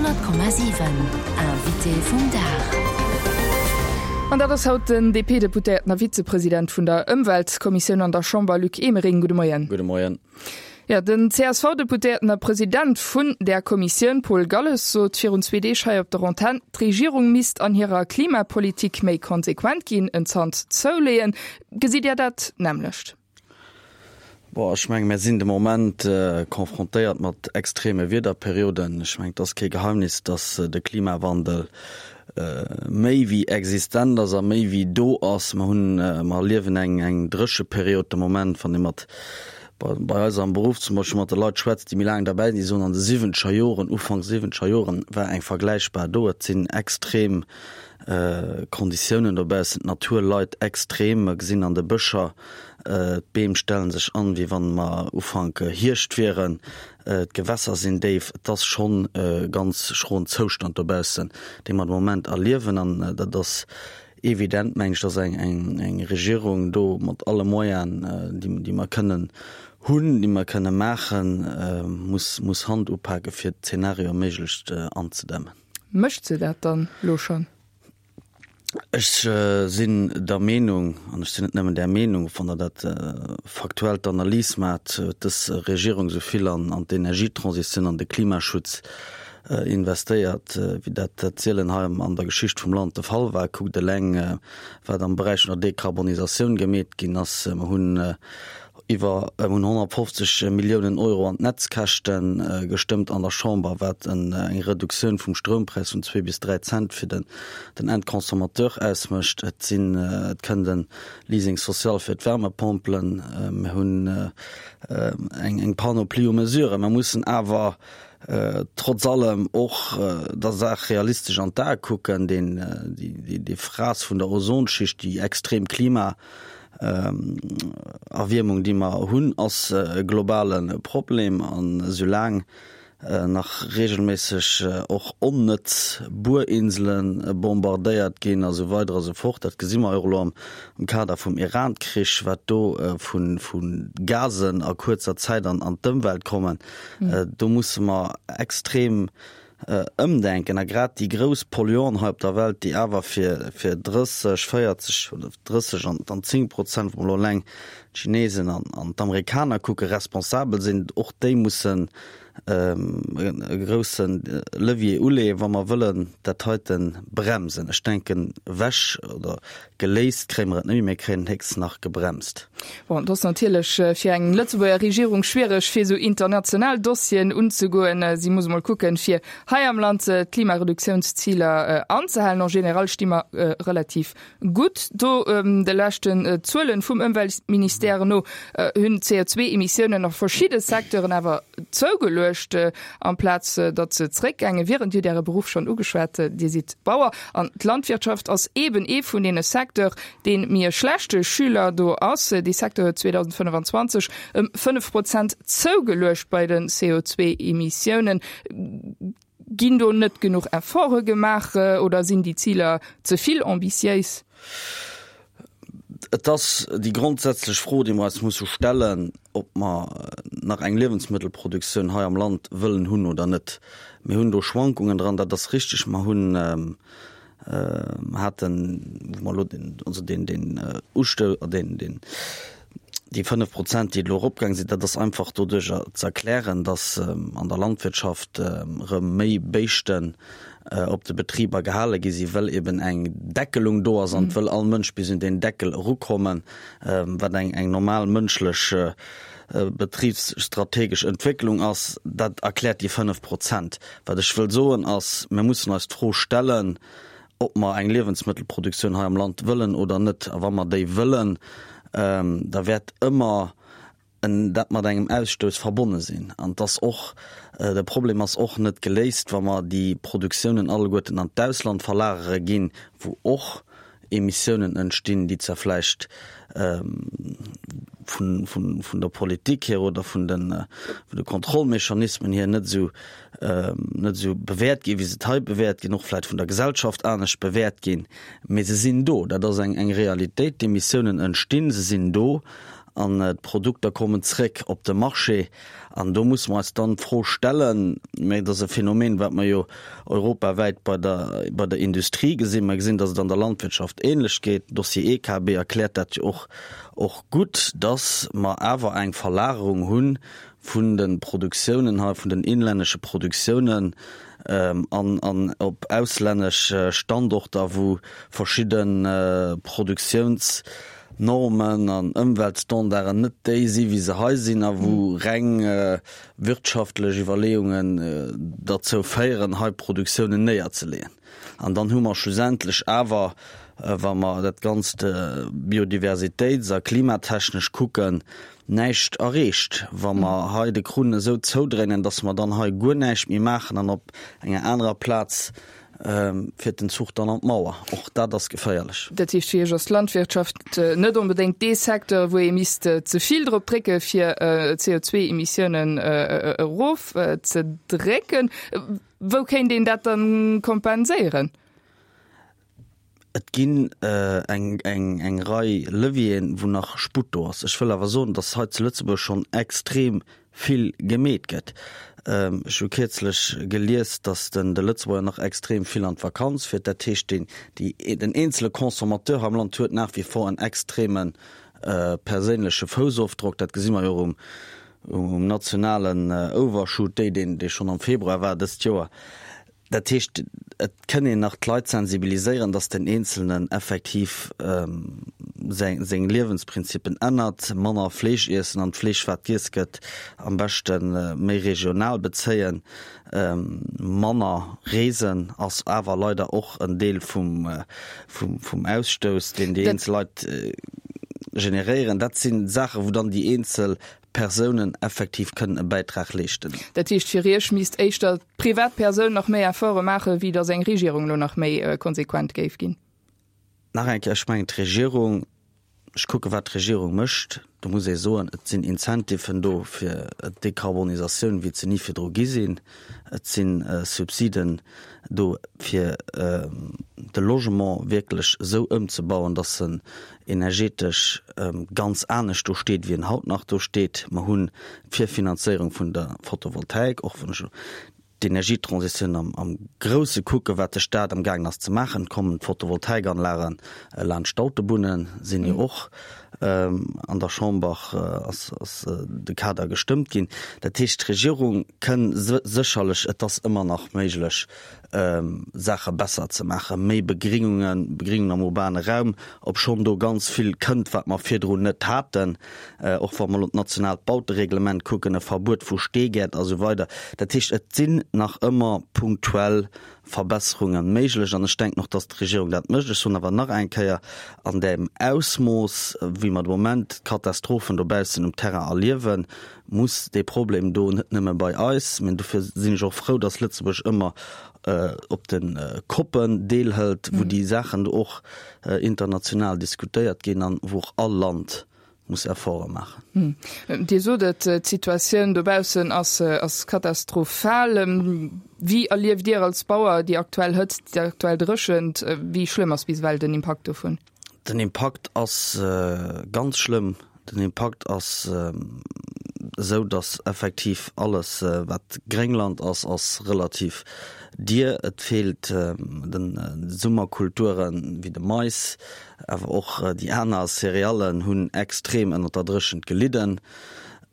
100,7 Invité vum Dag. An dat ass haut den DP-Deputéierten a Vizepresident vun der Ëmweltkommissioun an der Chamber, Luc Emering. Gudde Moien. Gudde Moien. Jo, den CSV-Deputéierten a President vun där Kommissioun, Paul Galles, sot virun zwee Deeg hei op der Antenn, d'Regierung misst an hirer Klimapolitik méi konsequent ginn, en Zant zouleeën. Gesitt Dir dat nämmlecht? Bon, ech menge mir sinn de Moment confrontéiert mat extreme Wiederperioden. Ech mengen, et ass kee Geheimnis, datt de Klimawandel méi wéi existent ass a méi wéi do ass. Mer hunn, mer erliewen eng, eng Drécheperiod de Moment. Wann ee mat, bei eis am Beruff zum Beispill mat de Leit schwätzt, déi méi laang derbäi sinn, déi soen, an de siwwenzeger Joren, Ufank siwwenzeger Joren war eng vergläichbar do. Et sinn extrem Konditiounen dobaussen, d'Natur leit extrem. Mer gesinn an de Bëscher, D'Beem stellen sech an, wéi wann mer Ufank Hierscht wieren. D'Gewässer sinn déif. Et ass schonn e ganz schroen Zoustand dobaussen, dee mer de Moment erliewen. An dat ass evident, meng ech, dass eng Regierung do mat alle Moyenen, déi mer kënnen hunn, déi mer kënne maachen, muss Hand upake fir d'Zenarioe méiglechst anzedämmen. Mécht se dat dann elo schonn? Ech sinn der Meenung, an ech sinn net nëmmen där Meenung, wann Der dat faktuell d'Analys maacht, huet dës Regierung esou vill an d'Energietransitioun, an de Klimaschutz investéiert, wéi dat sielen hei an der Geschicht vum Land de Fall war. Kuckt eleng, wat am Beräich vun der Dekarbonisatioun gemeet ginn ass. Mer hunn Iwwer 150 Milliounen Euro an d'Netzkäschte gestëmmt an der Chamber, wat eng Reduktioun vum Stroumpräis vun zwee bis 3 Cent fir den Endconsommateur ausmécht. Et sinn, et kënnt e Leasing social fir d'Wärmepompelen. Mir hunn eng Panoplie u Mesuren. Mer mussen awer trotz allem och der Saach realistesch an d'Ae kucken. Deen, déi Frass vun der Ozonschicht, déi extrem Klima, Erwiermung, déi mer hunn, ass e globale Problem. An esoulaang nach reegelméisseg och onnëtz Buerinsele bombardéiert ginn a sou weider a sou fort, dat gesi mer jo och elo am Kader vum Iran-Krich, wat do vu Gasen a kuerzer Zäit an d'Ëmwelt kommen, do musse mer extrem Ëmdenken a grad déi grouss Polluanten hei op der Welt, déi awer fir fir 30, 40 oder 30 an dann 10 Prozent, wa mer elo eleng d'Chinesen an an d'Amerikaner kucken, responsabel sinn, och déi mussen e grousse Levier uleeën, wa mer wëllen dat heite bremsen. Ech denken, ewech oder Geléist kréie mer et net méi, mir kréien et héchstens nach gebremst. Bon, et ass natierlech fir eng Lëtzebuerger Regierung schwiereg, fir esou international Dossieren unzegoen. Si muss emol kucken, fir hei am Land d'Klimareduktiounsziler anzehalen. En général sti mer relativ gutt do. De leschten Zuelen vum Ëmweltministère no hunn d'CO2-Emissiounen a verschidde Secteuren awer zougeluecht, amplaz datt se zeréckgaange wieren. Dir hutt Äre Beruff schonn ugeschwat, Dir sidd Bauer. An d'Landwirtschaft ass eeben ee vun deene Secteur, dee méi e schlechte Schüler do ass. Dee Secteur huet 2025 ëm 5 Prozent zougeluecht bei de CO2-Emissiounen. Ginn do net genuch Efforte gemaach oder sinn déi Ziler ze vill ambitiéis? Et ass déi grondsätzlech Fro, déi mer eis musse stellen, ob mer nach eng Liewensmëttelproduktioun hei am Land wëllen hunn oder net. Mir hunn do Schwankungen dran, dat ass richtig. Mer hunn, haten, wou mer elo den, also deen, deen Ustou, deen, deen, déi 5 Prozent, déi elo eropgaang sinn, dat ass einfach doduerjer ze erklären, datt an der Landwirtschaft erëm méi Béischten op de Betriber gehale gi sinn, well eben eng Deckelung do ass an et wëll all Mënsch bis un deen Deckel erukommen, wat eng eng normal mënschlech betribsstrategesch Entwécklung ass. Dat erkläert déi 5 Prozent. Wat ech wëll soen ass, mir mussen eis d'Fro stellen, ob mer eng Liewensmëttelproduktioun hei am Land wëllen oder net. A wa mer déi wëllen, da wäert ëmmer en dat mat engem Ausstouss verbonne sinn. An et ass och, de Problem ass och net geléist, wa mer déi Produktiounen alleguerten an d'Ausland verlagere ginn, wou och Emissiounen entstinn, déi zwar vläicht vun, vun, vun der Politik hier oder vun den, vun de Kontrollmechanismen hier net esou, net esou bewäert ginn, wéi se hei bewäert ginn, och vläicht vun der Gesellschaft anescht bewäert ginn, mee se sinn do. Dat ass eng, eng Realitéit. D'Emissiounen entstinn, se sinn do. An d'Produkter kommen zréck op de Marché. An do musse mer eis dann d'Fro stellen, mä et ass e Phänomen, wat mer jo europawäit bei der, bei der Industrie gesinn, mer gesinn, datt et an der Landwirtschaft ähnlech geet, den Dossier EKB erkläert dat jo och, och gutt, datt mer awer eng Verlagerung hu vun de Produktiounen hei, vun den inlännesche Produktiounen an, an op auslännesch Standorter, wou verschidde Produktiouns, Normen an Ëmweltstandarden net déi si wéi se hei sinn a wou reng wirtschaftlech Iwwerleeungen derzou féieren, hei Produktiounen néierzeleeën. An dann hu mer schlussendlech awer, wa mer dat Ganzt biodiversitéits a klimatechnesch kucken, näischt erreecht, wa mer hei de Krunn esou zoudréinen, dass mer dann hei guer näischt méi maachen an op enger anerer Plaz fiert den Zuch dann an d'Mauer. Och dat ass geféierlech. Dat heescht, fir Iech ass d'Landwirtschaft net onbedéngt dee Secteur, wou ee misst ze vill drop drécke fir d'CO2-Emissiounen erof ze drécken. Wou kéint een dat dann kompenséieren? Et ginn eng Rei Levieren, wou nach Sputt do ass. Ech wëll awer soen, datt hei zu Lëtzebuerg schonn extrem vill gemeet gëtt. Ech hu kierzlech gelies, datt de Lëtzebuerger nach extrem vill an d'Vakanz fiert. Dat heescht, den eenzele Consommateur am Land huet nach wie vor en extreme perséinleche Foussofdrock. Dat gesi mer jo och um nationalen Overshoot Day, dee schonn am Februar war dëst Joer. Dat heescht, et kënn een nach d'Leit sensibiliséieren, dass den Eenzelnen effektiv seng Liewensprinzippen ännert, manner Fleesch iessen an d'Fleesch, wat giess gëtt, am beschte méi regional bezéien, manner reesen ass awer leider och en Deel vum Ausstouss, deen déi eenzel Leit generéieren. Dat si Saachen, wou dann déi eenzel Persounen effektiv kënnen e Bäitrag leeschten. Dat heescht, fir Iech misst éischter d'Privatpersoun nach méi Efforte maachen, wéi datt eng Regierung elo nach méi konsequent géif ginn? Nach eng Kéier, ech mengen d'Regierung, ech kucke wat d'Regierung mécht, do muss ee soen, et sinn Incentiven do fir d'Dekarbonisatioun, wéi et se ni virdru gi sinn. Et si Subsiden do fir de Logement wierklech esou ëmzebauen, datt en energetesch ganz anescht do steet, wéi en haut nach do steet. Mer hunn d'Virfinanzéierung vun der Photovoltaik, och wann ech d'Energietransitioun am Grousse kucken, wat de Staat am gaangen ass ze maachen, kommen d'Photovoltaikanlage laanscht d'Autobunnen, sinn jo och an der Chamber ass de Kader gestëmmt ginn. Dat heescht, d'Regierung kënn sécherlech, et ass ëmmer nach méiglech, Saache besser ze maachen, méi Begringungen, Begringung am urbane Raum, obschonn do ganz vill kënnt, wat mer virdrun net haten, och wa mer elo d'nationaalt Bautereglement kucken, e Verbuet vu Steegäert a sou weider. Dat heescht, et sinn nach ëmmer punktuell Verbesserunge méiglech an ech denken och, dass d'Regierung dat mécht. Ech soen awer nach eng Kéier, an deem Ausmooss, wéi mer de Moment d'Katastrophen dobaussen um Terrain erliewen, muss dee Problem do net nëmme bei eis, mä dofir sinn ech och frou, dass Lëtzebuerg ëmmer op de COPen deelhëlt, wou déi Saachen do och international diskutéiert ginn an wou och all Land muss Efforte maachen. Dir sot et, d'Situatioun dobaussen ass katastrophal. Wéi erlieft Dir als Bauer déi aktuell Hëtzt, déi aktuell Dréchent? Wéi schlëmm ass bis ewell den Impakt dovun? Den Impakt ass ganz schlëmm. Den Impakt ass esou, datt effektiv alles, wat Gréngland ass, ass relativ dier. Et feelt de Summerkulturen, wéi de Mais, awer och déi aner Céréallen hunn extrem ënnert der Dréchent gelidden.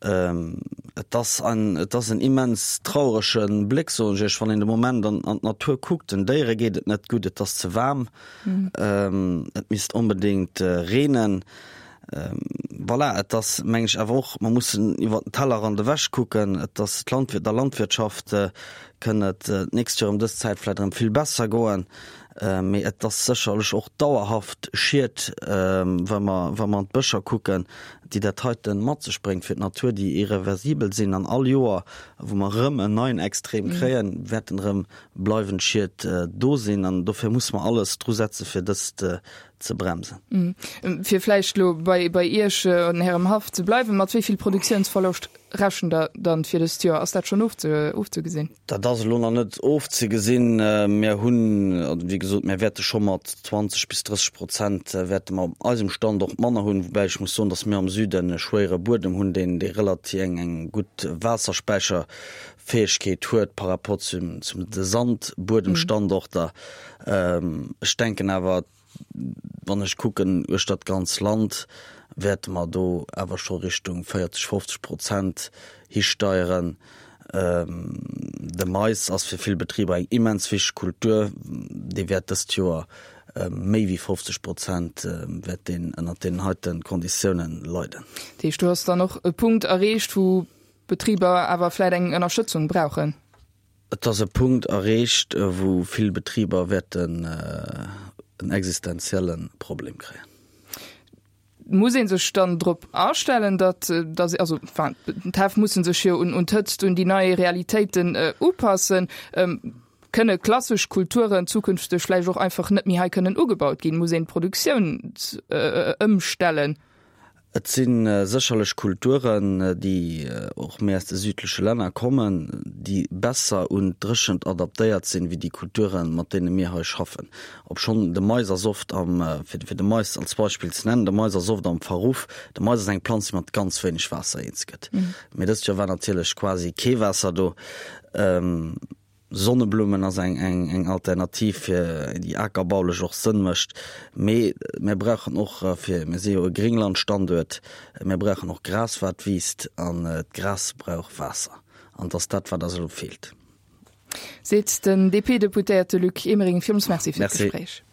Et ass en, et ass en immens traurege Bléck, soen ech Iech, wann een de Moment an d'Natur kuckt. Den Déiere geet et net gutt, et ass ze waarm. Et misst onbedéngt reenen. Voilà, et ass, meng ech, awer och, mer mussen iwwer den Tellerrand ewech kucken. Et ass d'Landwirt, der Landwirtschaft kënn et d'nächst Joer ëm dës Zäit vläicht erëm vill besser goen. Mee et ass sécherlech och dauerhaft Schied, wa mer, wa mer an d'Bëscher kucken, déi dat heite mat sech bréngt fir d'Natur, déi irreversibel sinn. An all Joer, wou mer erëm en neien Extrem kréien, wäerten erëm bleiwend Schied do sinn an dofir musse mer alles dru setze fir dëst ze bremsen. Fir vläicht elo bei Iech an Ärem Haff ze bleiwen, mat wéi vill Produktiounsverloscht. rechent Der dann fir dëst Joer? Ass dat schonn ofzegesinn? Dat ass elo nach net ofzegesinn. Mir hunn, also wéi gesot, mir wäerte scho mat 20 bis 30 Prozent wäerte mer op eisem Standort manner hunn, woubäi ech muss soen, datt mir am Süden e schwéiere Buedem hunn, deen dee relativ eng eng gutt Waasserspäicherfäegkeet huet par rapport zum zum de Sandbuedemstandorter. Ech denken awer, Wann ech kucken uechter d'ganz Land, wäerte mer do awer scho Richtung 40, 50 Prozent histeieren. De Mais ass fir vill Betriber eng immens wichteg Kultur. Dee wäert dëst Joer méi wéi 50 Prozent wäert deen ënnert deenen heite Konditiounen leiden. Dat heescht, do ass dann och e Punkt erreecht, wou Betriber awer vläicht eng Ënnerstëtzung brauchen? Et ass e Punkt erreecht, wou vill Betriber wäerten en existenzielle Problem kréien. Muss ee sech dann drop astellen, datt, datt, also enfin, d'Häff musse sech jo un d'Hëtzt, un déi nei Realitéiten upassen. Kënne klassesch Kulturen zukünfteg vläicht och einfach net méi hei kënnen ugebaut ginn? Muss een d'Produktioun ëmstellen? Et si sécherlech Kulturen, déi och méi aus de südleche Länner kommen, déi besser un d'Dréchent adaptéiert sinn, wéi déi Kulturen, mat deene mir hei schaffen. Obschonn de Mais ass oft am, fir de Mais als Beispill ze nennen, de Mais ass oft am Verruff. De Mais ass eng Planz, déi mat ganz wéineg Waasser eens gëtt. Mee dëst Joer war natierlech quasi kee Waasser do. Sonneblummen ass eng eng Alternativ fir déi akerbaulech och Sënn mécht. Mee mir brauchen och fir, mir si jo e Gringlandstanduert, mir brauchen och Gras wat wiisst an d'Gras brauch Waasser an et ass dat wat eis elo feelt. Seet den DP-Deputéierte Luc Emering. Villmools Merci fir d'Gespréich.